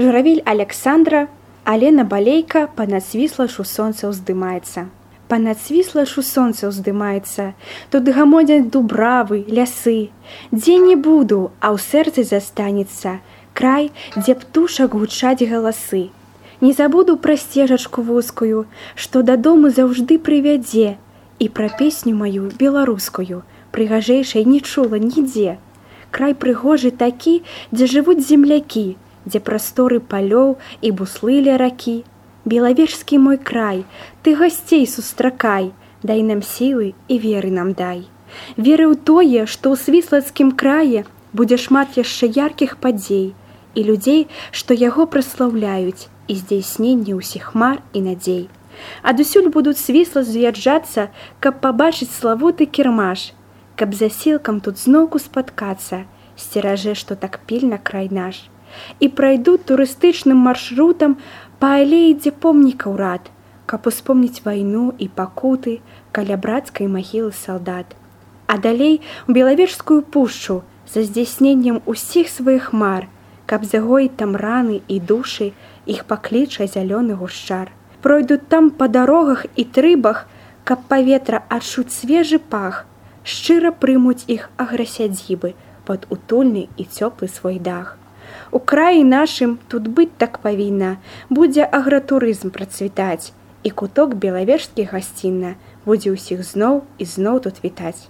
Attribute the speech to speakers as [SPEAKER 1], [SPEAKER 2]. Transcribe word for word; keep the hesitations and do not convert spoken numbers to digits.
[SPEAKER 1] Журавель Александра, Алена Балейка понад свіслашу сонца ўздымаецца. Понад свіслашу сонца ўздымаецца, тут гамоняць дубравы, лясы. Дзе не буду, а ў сэрцы застанецца край, дзе птушак гучаць галасы. Не забуду пра сцежачку вузкую, што дадому заўжды прывядзе, і пра песню маю беларускую, прыгажэйшай не чула нідзе. Край прыгожы такі, дзе жывуць землякі, дзе прасторы палёў і буслы ля ракі. Белавежскі мой край, ты гасцей сустракай, дай нам сілы і веры нам дай. Веры ў тое, што ў свіслацкім крае будзе шмат яшчэ яркіх падзей і людзей, што яго праслаўляюць, і здзяйсненне ўсіх мар і надзей. Адусюль будуць свісла з'язджацца, каб пабачыць славуты кірмаш, каб за сілкам тут зноўку спаткацца, сцеражэ, што так пільна край наш. І прайдуць турыстычным маршрутам па алеі, дзе помнікаў рад, каб успомніць вайну і пакуты каля брацкай магілы салдат. А далей у Белавежскую пушчу за здзяйсненнем усіх сваіх мар, каб загоіць там раны і душы, іх пакліча зялёны гушчар. Пройдуць там па дарогах і трыбах, каб паветра адчуць свежы пах, шчыра прымуць іх аграсядзібы пад утульны і цёплы свой дах. У краі нашым тут быць так павінна, будзе агратурызм працвітаць, і куток белавежскі гасцінна будзе ўсіх зноў і зноў тут вітаць.